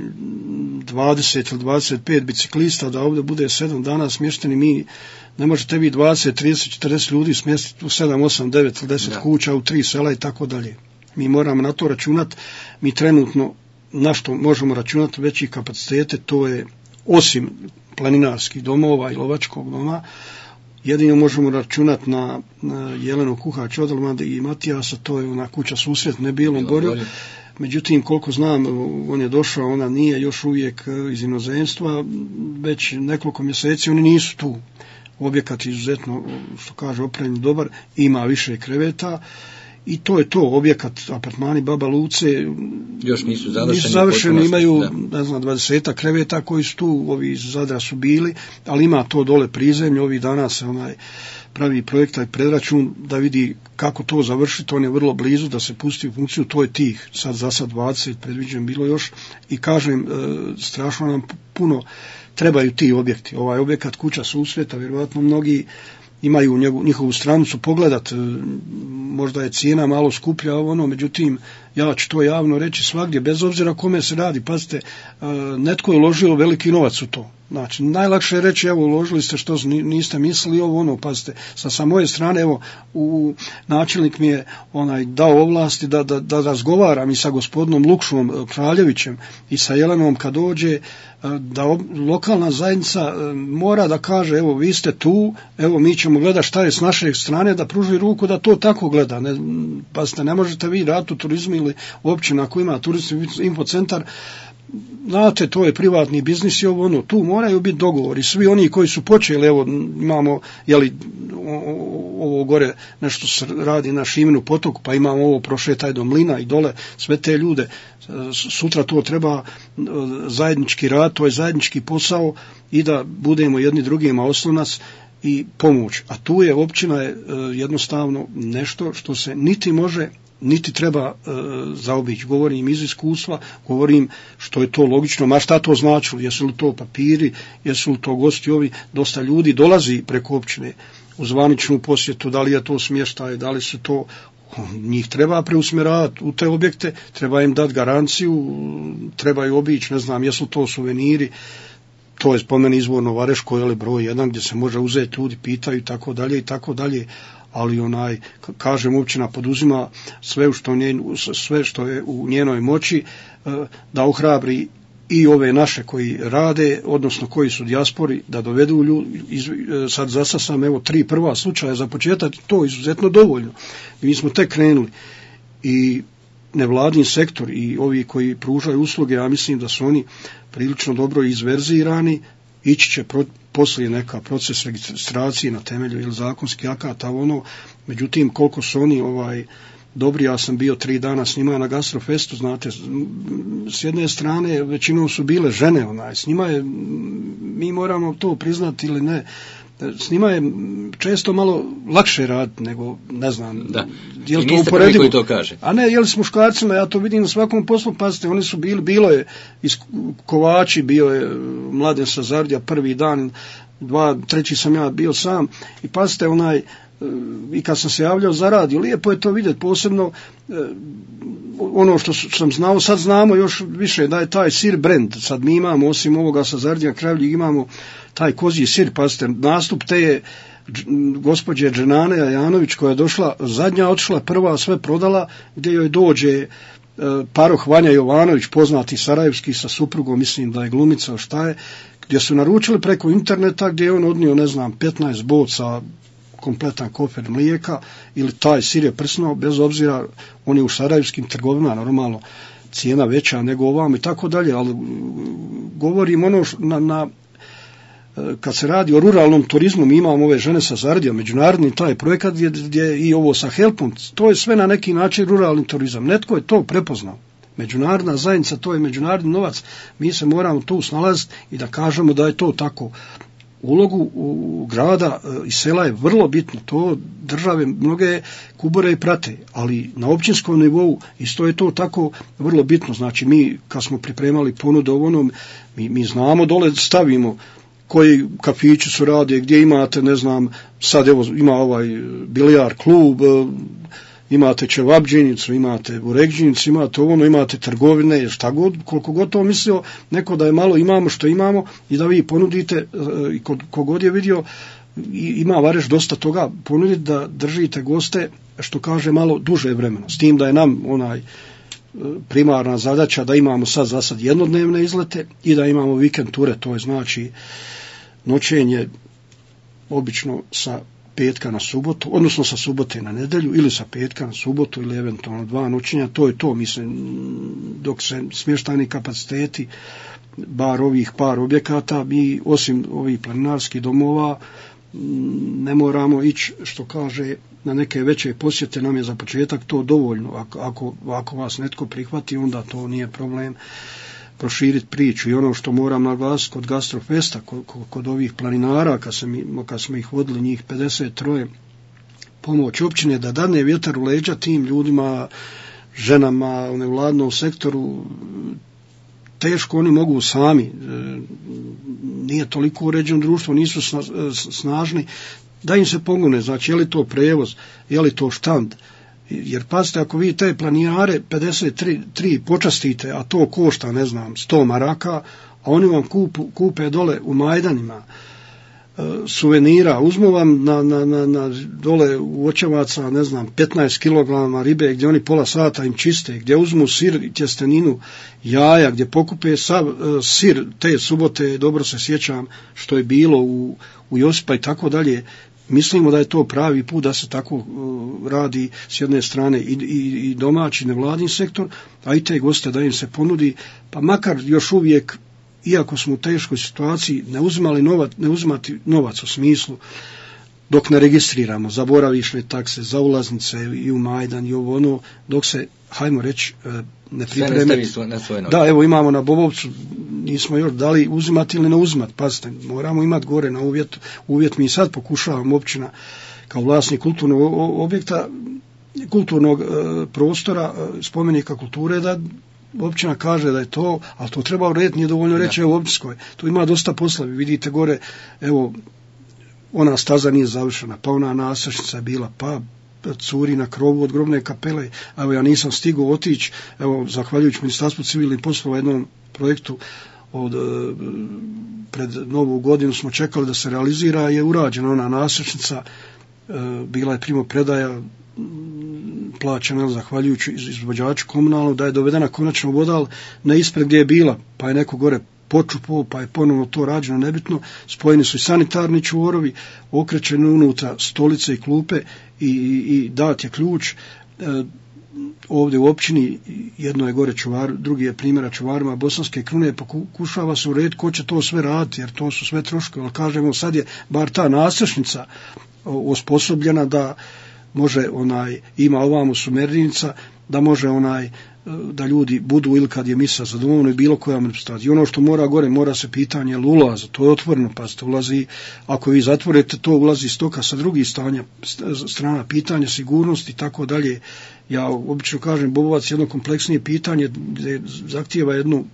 dvadeset ili dvadeset pet biciklista da ovdje bude sedam dana smješteni, mi ne možete vi dvadeset, trideset, četrdeset ljudi smjestiti u sedam, osam, devet ili deset kuća u tri sela i tako dalje. Mi moramo na to računati. Mi trenutno na što možemo računati veći kapacitete, to je osim planinarskih domova i lovačkog doma, jedino možemo računati na, na Jelenu Kuhać Odelmande i Matijasa, to je ona kuća susret na Bijelom Gorju. Međutim, koliko znam, on je došao, ona nije još uvijek iz inozemstva, već nekoliko mjeseci oni nisu tu. Objekat je izuzetno, što kaže, opremljen dobar, ima više kreveta i to je to, objekat, apartmani Baba Luce još nisu završeni, nisu završeni imaju, da. ne znam, dvadeset kreveta koji su tu, ovi iz Zadra su bili, ali ima to dole prizemlje, ovih dana se onaj pravi projekta i predračun da vidi kako to završiti, on je vrlo blizu da se pusti u funkciju, to je tih, sad za sad dvadeset predviđen bilo još i kažem, strašno nam puno trebaju ti objekti. Ovaj objekat kuća susreta, vjerojatno mnogi imaju njegu, njihovu stranicu pogledat, možda je cijena malo skuplja, ono, međutim, ja ću to javno reći svagdje, bez obzira kome se radi, pazite, netko je uložio veliki novac u to. Znači, najlakše je reći, evo, uložili ste što niste mislili, ovo, ono, pazite, sa, sa moje strane, evo, u, načelnik mi je onaj dao ovlasti da, da, da razgovaram i sa gospodinom Lukšom Kraljevićem i sa Jelenom kad dođe, da ob, lokalna zajednica mora da kaže, evo, vi ste tu, evo, mi ćemo gledati šta je s naše strane, da pruži ruku da to tako gleda. Ne, pazite, ne možete vi raditi u turizmu ili općina ako ima turistički infocentar, znate, to je privatni biznis i ovo, ono, tu moraju biti dogovori. Svi oni koji su počeli, evo, imamo, jeli, ovo gore nešto se radi na Šiminu potoku, pa imamo ovo prošetaj do Mlina i dole, sve te ljude, sutra to treba zajednički rad, to je zajednički posao i da budemo jedni drugima oslonac i pomoć. A tu je općina je jednostavno nešto što se niti može niti treba e, zaobići. Govorim iz iskustva, govorim što je to logično, ma šta to značilo, jesu li to papiri, jesu li to gosti ovi, dosta ljudi dolazi preko općine u zvaničnu posjetu, da li je to smještaj, da li su to, njih treba preusmjeravati u te objekte, treba im dati garanciju, trebaju obići, ne znam, jesu to suveniri, to je spomeni izvorno Vareško, je li broj jedan gdje se može uzeti, ljudi pitaju i tako dalje i tako dalje, ali onaj, kažem, općina poduzima sve što, nje, sve što je u njenoj moći da ohrabri i ove naše koji rade, odnosno koji su dijaspori, da dovedu ljudi. Sad zasa sam, evo, tri prva slučaja za početak, to je izuzetno dovoljno. I mi smo tek krenuli i nevladin sektor i ovi koji pružaju usluge, ja mislim da su oni prilično dobro izverzirani, ići će pro, poslije neka proces registracije na temelju ili zakonskih akata, ono, međutim koliko su oni ovaj dobri, ja sam bio tri dana s njima na Gastrofestu, znate, s jedne strane većinom su bile žene, onaj, s njima je, mi moramo to priznati ili ne, s njima je često malo lakše raditi nego, ne znam, da. Je li I to niste uporedivo? prvi koji to kaže. A ne, je li s muškarcima, ja to vidim na svakom poslu, pazite, oni su bili, bilo je iz Kovači, bio je Mladen Sazardija prvi dan, dva, treći sam ja bio sam i pazite, onaj, i kad sam se javljao za radio, lijepo je to vidjeti, posebno ono što sam znao, sad znamo još više da je taj sir brand, sad mi imamo, osim ovoga Sazardija Kravljig, imamo taj kozji sir, pazite, nastup te je gospođe Dženane Janović koja je došla, zadnja otišla, prva sve prodala, gdje joj dođe paroh Vanja Jovanović, poznati sarajevski sa suprugom, mislim da je glumica, šta je, gdje su naručili preko interneta, gdje je on odnio, ne znam, petnaest boca kompletan kofer mlijeka ili taj sir je prsnuo, bez obzira on je u sarajevskim trgovinama normalno cijena veća nego ovam i tako dalje, ali govorim ono na, na kad se radi o ruralnom turizmu, mi imamo ove žene sa Zardijom, međunarodni taj projekat gdje, gdje i ovo sa Helpom, to je sve na neki način ruralni turizam. Netko je to prepoznao. Međunarodna zajednica, to je međunarodni novac, mi se moramo tu snalaziti i da kažemo da je to tako. Ulogu u grada i sela je vrlo bitno, to države mnoge kubore i prate, ali na općinskom nivou isto je to tako vrlo bitno. Znači mi kad smo pripremali ponudu onom, mi, mi znamo dole stavimo koji kafići su rade, gdje imate, ne znam, sad evo ima ovaj bilijar klub, imate čevabđinicu, imate burekđinicu, imate ono, imate trgovine, šta god, koliko god to mislio, neko da je malo imamo što imamo i da vi ponudite, i kogod je vidio, ima Vareš dosta toga ponuditi da držite goste, što kaže, malo duže vremena. S tim da je nam onaj primarna zadaća da imamo sad za sad jednodnevne izlete i da imamo vikend ture, to je znači noćenje obično sa petka na subotu, odnosno sa subote na nedjelju ili sa petka na subotu ili eventualno dva noćenja, to je to, mislim, dok se smještajni kapaciteti, bar ovih par objekata, mi osim ovih planinarskih domova ne moramo ići, što kaže, na neke veće posjete, nam je za početak to dovoljno. Ako, ako, ako vas netko prihvati, onda to nije problem proširiti priču. I ono što moram naglasiti kod Gastrofesta, kod, kod ovih planinara, kad, mi, kad smo ih vodili, njih pedeset tri, pomoć općine da dadne vjetar u leđa tim ljudima, ženama u nevladnom sektoru, teško oni mogu sami, nije toliko uređeno društvo, nisu snažni, da im se pomogne, znači je li to prevoz, je li to štand, jer pazite, ako vi te planinare pedeset tri počastite, a to košta, ne znam, sto maraka, a oni vam kupu, kupe dole u Majdanima suvenira, uzmu vam na, na, na, na dole u Očevaca, ne znam, petnaest kilograma ribe, gdje oni pola sata im čiste, gdje uzmu sir i tjesteninu, jaja, gdje pokupe sav uh, sir te subote, dobro se sjećam što je bilo u, u Josipa i tako dalje. Mislimo da je to pravi put da se tako uh, radi s jedne strane i, i, i domaći nevladin sektor, a i te goste da im se ponudi, pa makar još uvijek, iako smo u teškoj situaciji, ne uzimali novac, ne uzimati novac u smislu dok ne registriramo za boravišne takse, za ulaznice i u Majdan i ovo ono, dok se, hajmo reći, ne pripreme. Da, evo imamo na Bobovcu, nismo još dali uzimati ili ne uzimati, pazite, moramo imati gore na uvjet, uvjet mi sad pokušavamo općina kao vlasnik kulturnog objekta, kulturnog e, prostora, e, spomenika kulture, da općina kaže da je to, ali to treba urediti, nije dovoljno reći ja. U općinskoj. Tu ima dosta posla, vi vidite gore, evo, ona staza nije završena, pa ona nastrešnica je bila, pa curi na krovu od grobne kapele, evo ja nisam stigao otići, evo, zahvaljujući Ministarstvu civilnih poslova jednom projektu od pred novu godinu smo čekali da se realizira, je urađena ona nastrešnica, bila je primopredaja, plaćena zahvaljujući izvođaču komunalnog, da je dovedena konačno voda na ispred gdje je bila, pa je neko gore počupo, pa je ponovno to rađeno, nebitno, spojeni su i sanitarni čvorovi, okrećene unutra stolice i klupe i, i, i dat je ključ. E, ovdje u općini, jedno je gore čuvar, drugi je primjera čuvarima Bosanske Krune, pokušava se urediti ko će to sve raditi, jer to su sve troškovi, ali kažemo, sad je bar ta nastrešnica osposobljena da može onaj, ima ovamo sumernica, da može onaj, da ljudi budu ili kad je misa za domovno i bilo koja manifestacija. I ono što mora gore, mora se pitanje ulaza, to je otvoreno, pa ste ulazi, ako vi zatvorite, to ulazi stoka sa drugih stanja, strana pitanja, sigurnosti i tako dalje. Ja obično kažem, Bobovac je jedno kompleksnije pitanje gdje zahtijeva jednu,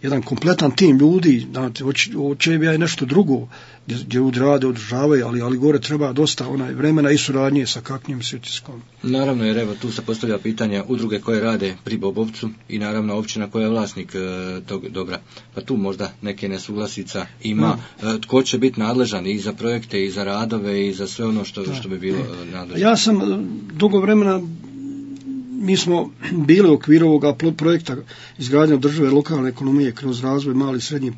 jedan kompletan tim ljudi, znate, očevija je nešto drugo, gdje, gdje ljudi rade, održavaju, ali, ali gore treba dosta onaj vremena i suradnje sa kaknjim Svitiskom. Naravno, jer evo tu se postavlja pitanja udruge koje rade pri Bobovcu i naravno općina koja je vlasnik e, tog dobra. Pa tu možda neke nesuglasica ima. E, tko će biti nadležan i za projekte i za radove i za sve ono što, što bi bilo nadležno? Ja sam dugo vremena mi smo bili u okviru ovoga projekta izgradnje održive lokalne ekonomije kroz razvoj malih i srednjih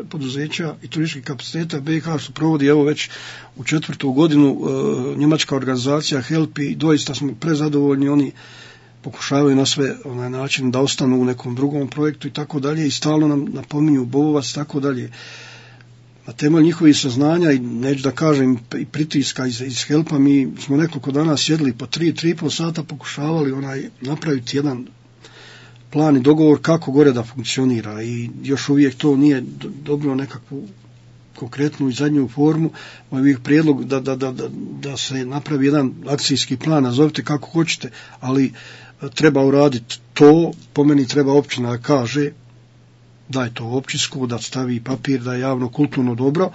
poduzeća i turističkih kapaciteta B i H, što provodi evo već u četvrtu godinu e, njemačka organizacija HELP, i doista smo prezadovoljni. Oni pokušavaju na sve onaj način da ostanu u nekom drugom projektu i tako dalje, i stalno nam napominju Bobovac, tako dalje. Na temelju njihovih saznanja i neću da kažem i pritiska iz, iz HELP-a, mi smo nekoliko dana sjedili po tri, tri i pol sata, pokušavali onaj napraviti jedan plan i dogovor kako gore da funkcionira, i još uvijek to nije dobilo nekakvu konkretnu i zadnju formu. Moj uvijek prijedlog da, da, da, da, da se napravi jedan akcijski plan, nazovite kako hoćete, ali treba uraditi to. Po meni treba općina da kaže da je to općinsko, da stavi papir da je javno kulturno dobro,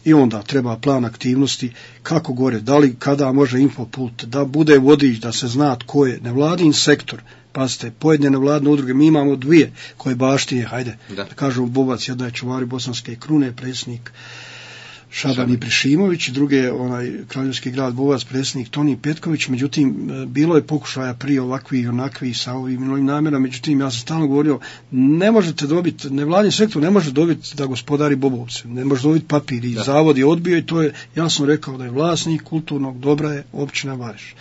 i onda treba plan aktivnosti kako gore, da li kada može infopult, da bude vodič, da se zna tko je nevladin sektor. Pazite, pojedine nevladine udruge, mi imamo dvije koje baštine, hajde, da, da kažemo Bobac, jedna je čuvari bosanske krune, predsjednik Šaban Ibrešimović, druge je onaj kraljevski grad Bovac, predsjednik Toni Petković. Međutim, bilo je pokušaja prije ovakvih i onakvih sa ovim novim namjerama. Međutim, ja sam stalno govorio, ne možete dobiti, nevladin sektor ne može dobiti da gospodari Bobovce, ne može dobiti papir, i da. Zavod je odbio, i to je jasno rekao da je vlasnik kulturnog dobra je općina Vareš.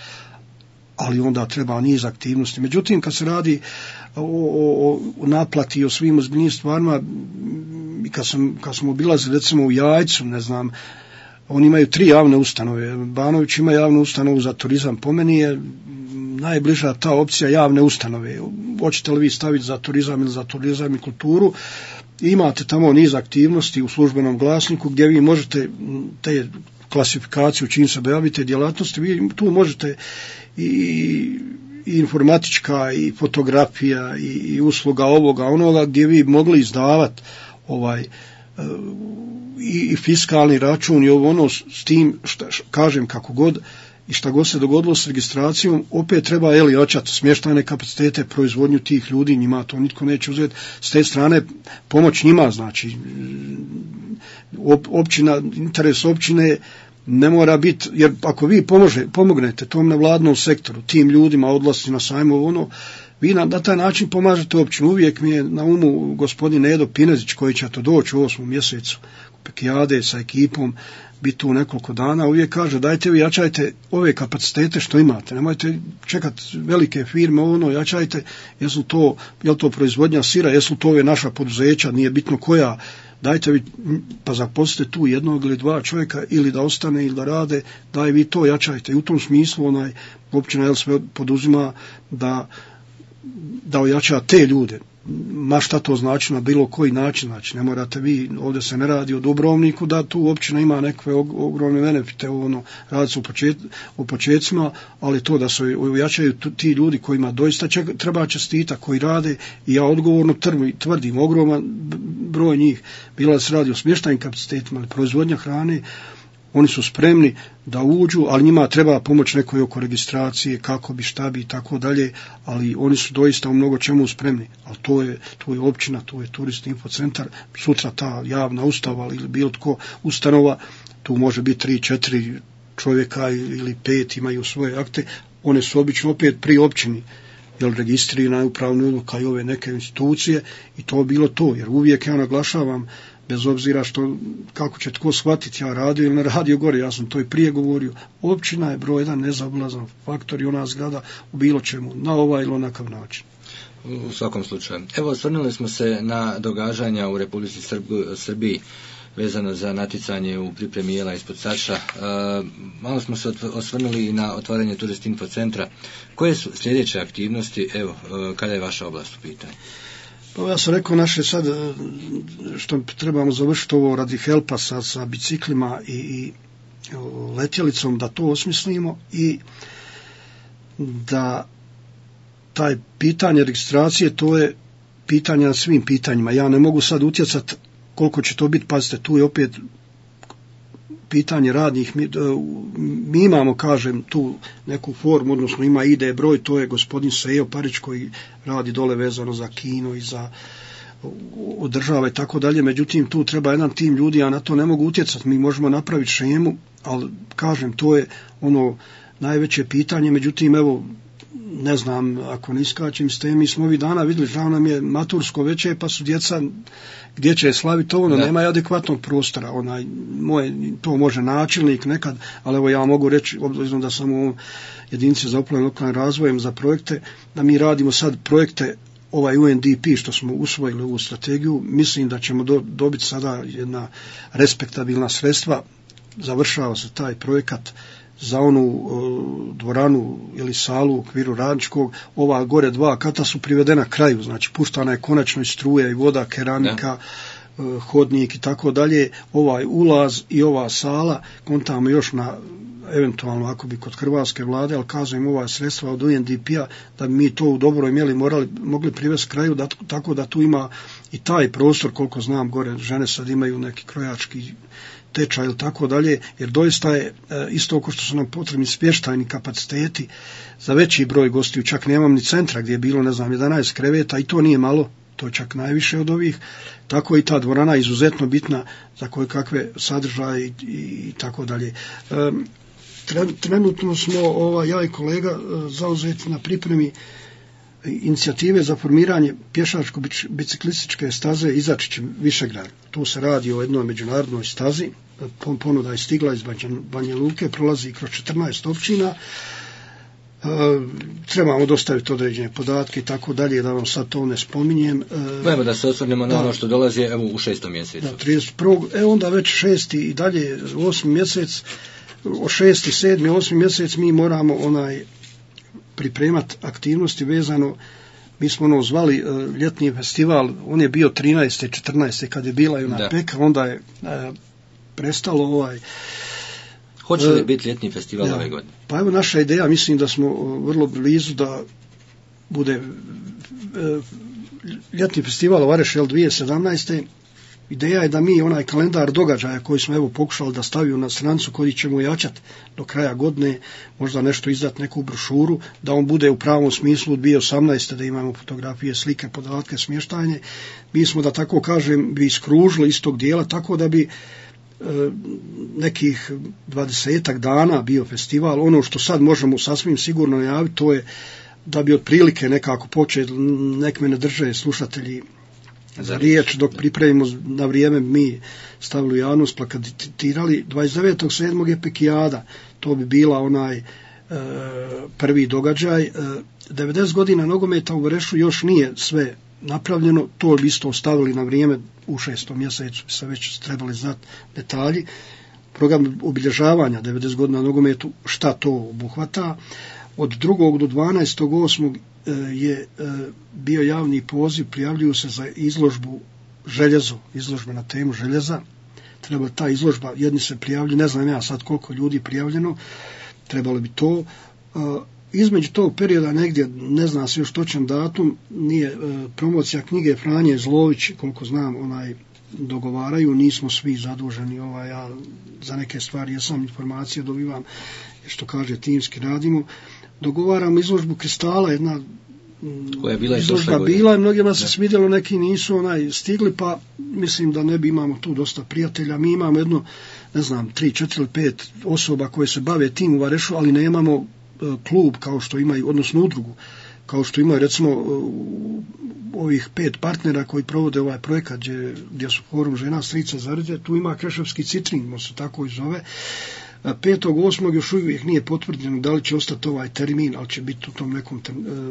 Ali onda treba niz aktivnosti. Međutim, kad se radi o, o, o naplati, o svim ozbiljnim stvarima, kad, sam, kad smo obilazili recimo u Jajcu, ne znam, oni imaju tri javne ustanove. Banović ima javnu ustanovu za turizam. Po meni je najbliža ta opcija javne ustanove. Hoćete li vi staviti za turizam ili za turizam i kulturu? Imate tamo niz aktivnosti u službenom glasniku gdje vi možete te klasifikaciju čim se dojavite djelatnosti, vi tu možete i, i informatička i fotografija i, i usluga ovoga onoga, gdje vi mogli izdavati ovaj i, i fiskalni račun i ovo ono, s tim šta, kažem kako god i šta god se dogodilo s registracijom, opet treba eli očati smještajne kapacitete, proizvodnju tih ljudi, njima to nitko neće uzeti. S te strane pomoć njima, znači op, općina, interes općine ne mora biti, jer ako vi pomože, pomognete tom nevladnom sektoru, tim ljudima, odlasci na sajmu, ono, vi na, na taj način pomažete općinu. Uvijek mi je na umu gospodin Edo Pinezić, koji će to doći u osmom mjesecu u Pekijade sa ekipom, biti tu nekoliko dana, uvijek kaže dajte vi jačajte ove kapacitete što imate, nemojte čekati velike firme, ono, jačajte, jesu to, je li to proizvodnja sira, jesu to ove naša poduzeća, nije bitno koja, dajte vi, pa zaposlite tu jednog ili dva čovjeka, ili da ostane ili da rade, daj vi to jačajte. I u tom smislu onaj općina jel sve poduzima da, da ojača te ljude. Ma šta to znači na bilo koji način, znači ne morate vi, ovdje se ne radi o Dubrovniku da tu općina ima nekakve ogromne benefite, ono, radi se u, počet, u početcima, ali to da se ojačaju ti ljudi kojima doista će, treba čestita, koji rade, i ja odgovorno tvrdim, ogroman broj njih, bilo da se radi o smještajnim kapacitetima ili proizvodnja hrane, oni su spremni da uđu, ali njima treba pomoć nekoj oko registracije, kako bi, šta bi i tako dalje, ali oni su doista u mnogo čemu spremni. Ali to je, to je općina, to je turist infocentar, sutra ta javna ustanova ili bilo tko ustanova, tu može biti tri, četiri čovjeka ili pet, imaju svoje akte, one su obično opet pri općini, jel registrirana upravna odluka i ove neke institucije, i to bilo to, jer uvijek ja naglašavam, bez obzira što, kako će tko shvatiti, ja radio ili ne radio gore, ja sam to i prije govorio, općina je broj jedan nezaobilazan faktor i ona zgrada u bilo čemu, na ovaj ili onakav način. U svakom slučaju. Evo, osvrnuli smo se na događanja u Republici Srb- Srbiji vezano za natjecanje u pripremi jela ispod Saša. E, malo smo se osvrnuli i na otvaranje Turist Info centra. Koje su sljedeće aktivnosti, evo, e, kada je vaša oblast u pitanju? Pa ja sam rekao naše sad, što trebamo završiti ovo radi helpa sa, sa biciklima i, i letjelicom, da to osmislimo i da taj pitanje registracije, to je pitanje na svim pitanjima. Ja ne mogu sad utjecati koliko će to biti, pazite, tu je opet pitanje radnih, mi, mi imamo, kažem, tu neku formu, odnosno ima I D broj, to je gospodin Sejo Parić koji radi dole vezano za kino i za održava i tako dalje, međutim tu treba jedan tim ljudi, ja na to ne mogu utjecati, mi možemo napraviti šemu, ali kažem, to je ono najveće pitanje, međutim evo ne znam, ako ne iskačem s temi, mi smo ovih dana vidjeli, žao nam je matursko veće, pa su djeca gdje će slaviti ovo, no nema adekvatnog prostora, onaj, moje, to može načelnik nekad, ali evo ja mogu reći, obzirom da sam u jedinici za upravljanje lokalnim razvojem za projekte, da mi radimo sad projekte, ovaj U N D P što smo usvojili ovu strategiju, mislim da ćemo do, dobiti sada jedna respektabilna sredstva, završava se taj projekat za onu o, dvoranu ili salu u okviru Radničkog, ova gore dva kata su privedena kraju, znači puštana je konačno i struja i voda, keramika, o, hodnik i tako dalje, ovaj ulaz i ova sala, kontamo još na eventualno ako bi kod hrvatske vlade, ali kažem ova sredstva od U N D P-a, da bi mi to u dobroj mjeri morali, mogli privesti kraju, da, tako da tu ima i taj prostor, koliko znam, gore žene sad imaju neki krojački tečaj ili tako dalje, jer doista je isto oko što su nam potrebni smještajni kapaciteti za veći broj gostiju, čak nemam ni centra gdje je bilo, ne znam, jedanaest kreveta i to nije malo, to je čak najviše od ovih, tako i ta dvorana je izuzetno bitna za koje kakve sadržaje i, i, i tako dalje. Um, Trenutno smo, ova, ja i kolega, zauzeti na pripremi inicijative za formiranje pješačko-biciklističke staze Izačić Višegrad. Tu se radi o jednoj međunarodnoj stazi, ponuda je stigla iz Banja Luke, prolazi kroz četrnaest općina, trebamo dostaviti određene podatke i tako dalje, da vam sad to ne spominjem. Evo da se osvrnemo na ono što dolazi evo, u šestom mjesecu. Da, trideset prvog E onda već šesti i dalje osmi mjesec, o šesti, sedmi, osmi mjesec mi moramo onaj pripremati aktivnosti vezano, mi smo ono zvali uh, ljetni festival, on je bio trinaeste, četrnaeste kad je bila i ona peka, onda je uh, prestalo ovaj. Hoće li uh, biti ljetni festival ja, ove godine? Pa evo naša ideja, mislim da smo uh, vrlo blizu da bude uh, ljetni festival u Vareš dvije tisuće sedamnaeste. Ideja je da mi onaj kalendar događaja koji smo evo pokušali da stavimo na stranicu koji ćemo jačati do kraja godine, možda nešto izdati neku brošuru, da on bude u pravom smislu od dvije tisuće osamnaeste da imamo fotografije, slike, podatke, smještajne. Mi smo, da tako kažem, bi iskružili iz tog dijela tako da bi e, nekih dvadesetak dana bio festival. Ono što sad možemo sasvim sigurno najaviti, to je da bi otprilike nekako počeli, nek me ne drže slušatelji za riječ, dok pripremimo na vrijeme mi stavili u javnost, plakatirali. dvadeset devetog sedmog je Pekijada, to bi bila onaj e, prvi događaj. E, devedeset godina nogometa u Varešu još nije sve napravljeno, to bi isto ostavili na vrijeme, u šestom mjesecu bi se već trebali znati detalji. Program obilježavanja devedeset godina nogometu, šta to obuhvata. Od drugog do dvanaestog osmog je bio javni poziv, prijavljuju se za izložbu željezo, izložbe na temu željeza. Treba ta izložba, jedni se prijavljuju, ne znam ja sad koliko ljudi prijavljeno, trebalo bi to. Između tog perioda negdje, ne zna se još točan datum, nije promocija knjige Franje Zlović, koliko znam, onaj dogovaraju, nismo svi zaduženi, ovaj, ja za neke stvari jesam informacije dobivam, što kaže timski radimo. Dogovaramo izložbu kristala, jedna koja je bila izložba bila i mnogima se svidjelo, neki nisu onaj stigli, pa mislim da ne bi, imamo tu dosta prijatelja. Mi imamo jedno, ne znam, tri, četiri ili pet osoba koje se bave tim u Varešu, ali nemamo uh, klub kao što imaju, odnosno udrugu, kao što imaju recimo uh, ovih pet partnera koji provode ovaj projekat gdje, gdje su Forum žena Strica Zarđe, tu ima Kreševski Citrin, mo se tako i zove. petog osmog još uvijek nije potvrđeno da li će ostati ovaj termin, ali će biti u tom nekom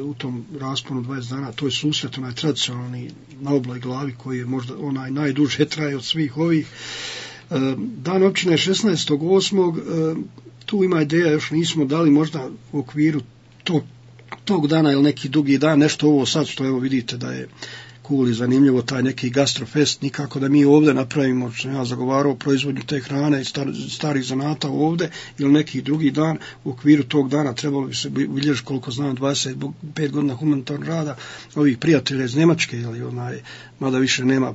u tom rasponu dvadeset dana. To je susret, onaj tradicionalni na obloj glavi koji je možda onaj najduže traje od svih ovih. Dan općine je šesnaestog osmog Tu ima ideja, još nismo dali možda u okviru tog, tog dana ili neki drugi dan, nešto ovo sad što evo vidite da je cool i zanimljivo, taj neki gastrofest, nikako da mi ovdje napravimo, što ja zagovarao proizvodnju te hrane i star, starih zanata ovdje, ili neki drugi dan. U okviru tog dana trebalo bi se bilježiti, koliko znam, dvadeset pet godina humanitarnog rada ovih prijatelja iz Njemačke, ili onaj, mada više nema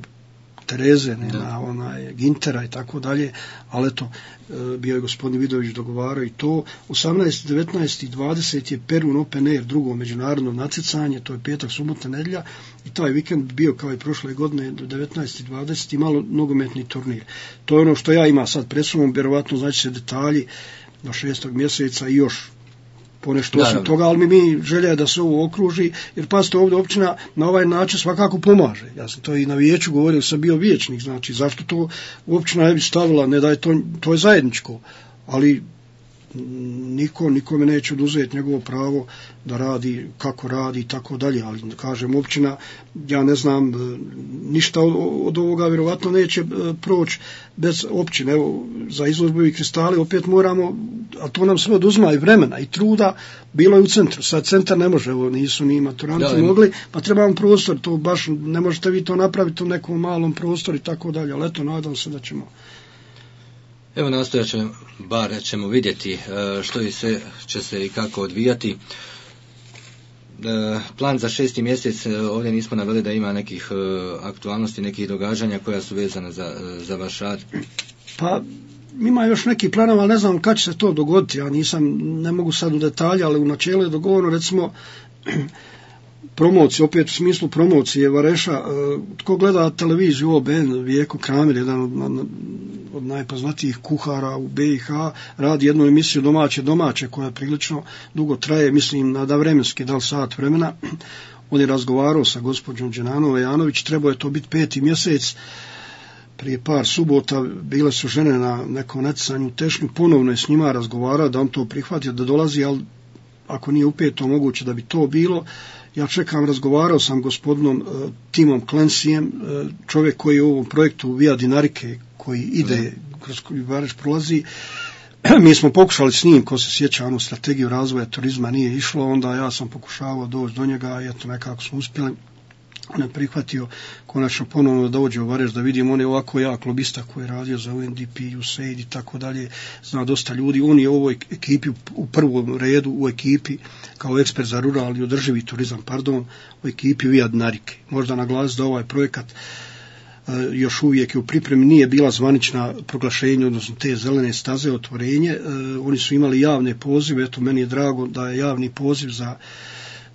Tereze, nema onaj Gintera i tako dalje, ali eto, bio je gospodin Vidović dogovarao i to. osamnaesti, devetnaesti i dvadeset je Perun Open Air, drugo međunarodno natjecanje, to je petak, subota, nedjelja, i taj vikend bio kao i prošle godine do devetnaest i dvadeset i malo nogometni turnir. To je ono što ja imam sad pred sobom, vjerovatno znači se detalji do šestog mjeseca i još ponešto osim toga, ali mi, mi želja je da se ovo okruži, jer pazite, ovdje općina na ovaj način svakako pomaže. Ja sam to i na vijeću govorio, sam bio vijećnik, znači zašto to općina ne bi stavila, ne da je to, to je zajedničko, ali niko, nikome neće oduzeti njegovo pravo da radi kako radi i tako dalje, ali kažem općina, ja ne znam ništa od, od ovoga vjerovatno neće proći bez općine. Evo, za izložbu i kristale opet moramo, a to nam sve oduzima i vremena i truda, bilo je u centru, sad centar ne može, evo nisu ni maturanti ja, mogli, pa trebamo prostor, to baš ne možete vi to napraviti u nekom malom prostoru i tako dalje, ali eto, nadam se da ćemo. Evo nastojat ćemo, bar ćemo vidjeti što i sve će se i kako odvijati. Plan za šesti mjesec, ovdje nismo naveli da ima nekih aktualnosti, nekih događanja koja su vezane za, za vaš rad. Pa ima još neki planova, ali ne znam kad će se to dogoditi, ja nisam, ne mogu sad u detalje, ali u načelu je dogovorno, recimo promocije, opet u smislu promocije Vareša, tko gleda televiziju O B N, Vijeko Kramir, jedan od, od najpoznatijih kuhara u B i H, radi jednu emisiju Domaće domaće koja prilično dugo traje, mislim na da vremenski, da li sat vremena. On je razgovarao sa gospođom Đenanovom Janović, trebao je to biti peti mjesec, prije par subota bile su žene na nekom natjecanju u Tešnju, ponovno je s njima razgovarao da on to prihvatio da dolazi, ali ako nije upeto moguće da bi to bilo. Ja čekam, razgovarao sam gospodinom uh, Timom Clancyjem, uh, čovjek koji je u ovom projektu Via Dinarike, koji ide, kroz koji Vareš prolazi. Mi smo pokušali s njim, ko se sjeća, onu strategiju razvoja turizma nije išlo, onda ja sam pokušavao doći do njega i eto nekako smo uspjeli. On je prihvatio konačno ponovno da dođe u Vareš, da vidimo, on je ovako jak lobista koji je radio za U N D P, U S A I D i tako dalje, zna dosta ljudi, on je u ovoj ekipi u prvom redu, u ekipi kao ekspert za ruralni i održivi turizam, pardon, u ekipi Via Dinarike. Možda naglasiti da ovaj projekat uh, još uvijek je u pripremi, nije bila zvanična proglašenja, odnosno te zelene staze otvorenje, uh, oni su imali javne pozive, eto meni je drago da je javni poziv za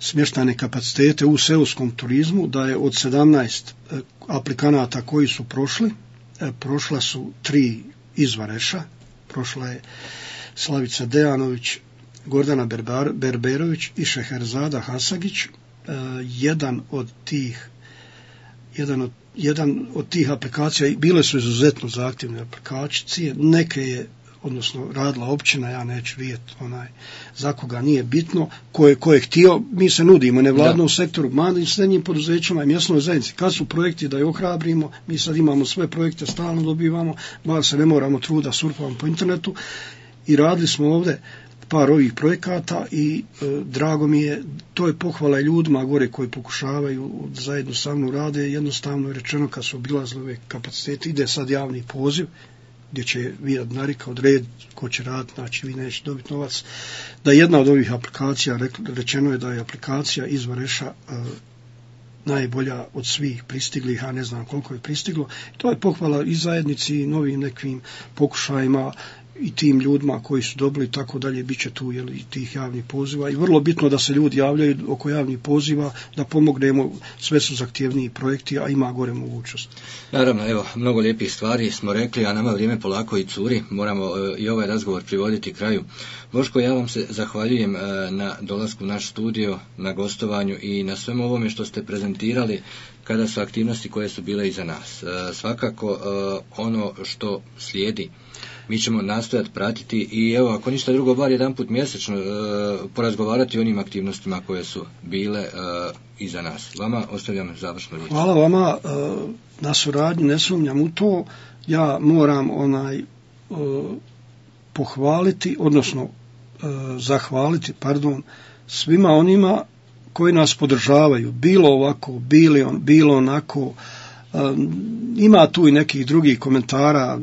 smještajne kapacitete u seoskom turizmu, da je od sedamnaest aplikanata koji su prošli, prošla su tri iz Vareša, prošla je Slavica Dejanović, Gordana Berbar, Berberović i Šeherzada Hasagić. Jedan od tih jedan od, jedan od tih aplikacija, bile su izuzetno zahtjevne aplikacije, neke je odnosno radila općina, ja neću vidjeti onaj, za koga nije bitno, ko je, ko je htio, mi se nudimo nevladnom da. sektoru, malim srednjim poduzećima i mjesnoj zajednici, kad su projekti da je ohrabrimo, mi sad imamo sve projekte, stalno dobivamo, bar se ne moramo truda, surfamo po internetu i radili smo ovdje par ovih projekata i e, drago mi je, to je pohvala ljudima gore koji pokušavaju zajedno sa mnom rade, jednostavno je rečeno kad su obilazili ove kapacitete, ide sad javni poziv, gdje će Via Dinarika odrediti ko će raditi, znači vi neće dobiti novac, da jedna od ovih aplikacija, rečeno je da je aplikacija iz Vareša uh, najbolja od svih pristiglih, a ne znam koliko je pristiglo. To je pohvala i zajednici i novim nekim pokušajima i tim ljudima koji su dobili tako dalje, bit će tu jeli, tih javnih poziva i vrlo bitno da se ljudi javljaju oko javnih poziva, da pomognemo, sve su zahtjevniji projekti, a ima gore mogućnost. Naravno, evo, mnogo lijepih stvari smo rekli, a nama vrijeme polako i curi, moramo e, i ovaj razgovor privoditi kraju. Boško, ja vam se zahvaljujem e, na dolasku u naš studio, na gostovanju i na svemu ovome što ste prezentirali kada su aktivnosti koje su bile iza nas. E, svakako e, ono što slijedi mi ćemo nastojati pratiti i evo, ako ništa drugo, bar jedan put mjesečno e, porazgovarati o onim aktivnostima koje su bile e, iza nas. Vama ostavljam završnu riječ. Hvala vama e, na suradnji, ne sumnjam u to. Ja moram onaj e, pohvaliti, odnosno e, zahvaliti, pardon, svima onima koji nas podržavaju, bilo ovako, bilo, on, bilo onako. E, ima tu i nekih drugih komentara,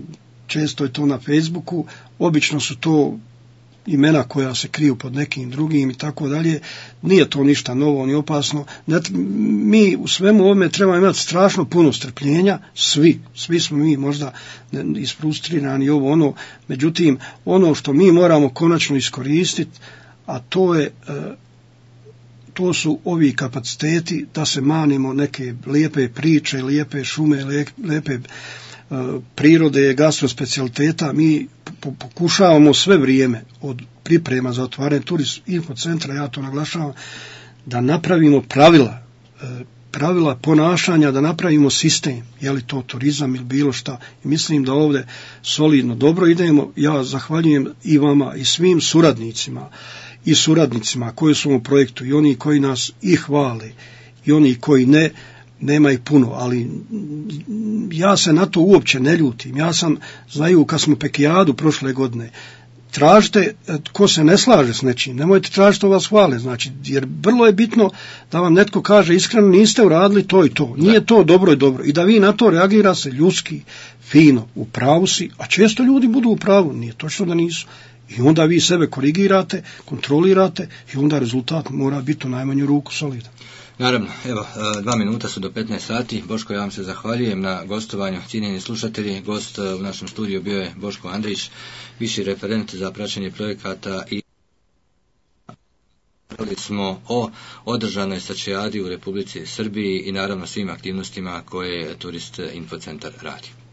često je to na Facebooku, obično su to imena koja se kriju pod nekim drugim i tako dalje, nije to ništa novo ni opasno. Mi u svemu ovome trebamo imati strašno puno strpljenja, svi, svi smo mi možda isfrustrirani ovo ono, međutim ono što mi moramo konačno iskoristiti, a to je to su ovi kapaciteti da se manimo neke lijepe priče, lijepe šume, lijepe prirode, gastrospecialiteta, mi pokušavamo sve vrijeme od priprema za otvaranje turist infocentra, ja to naglašavam, da napravimo pravila, pravila ponašanja, da napravimo sistem, je li to turizam ili bilo šta. I mislim da ovdje solidno dobro idemo. Ja zahvaljujem i vama i svim suradnicima i suradnicima koji su u projektu i oni koji nas i hvale i oni koji ne, nema ih puno, ali ja se na to uopće ne ljutim. Ja sam, znaju, kad smo Pekijadu prošle godine, tražite ko se ne slaže s nečim, nemojte tražiti da vas hvale, znači, jer vrlo je bitno da vam netko kaže iskreno niste uradili to i to, nije to dobro i dobro, i da vi na to reagira se ljudski, fino, u pravu si, a često ljudi budu u pravu, nije točno da nisu, i onda vi sebe korigirate, kontrolirate i onda rezultat mora biti u najmanju ruku solidan. Naravno, evo, dva minuta su do petnaest sati. Boško, ja vam se zahvaljujem na gostovanju. Cijenjeni slušatelji, gost u našem studiju bio je Boško Andrić, viši referent za praćenje projekata, i govorili smo o održanoj stačijadi u Republici Srbiji i naravno svim aktivnostima koje Turist Infocentar radi.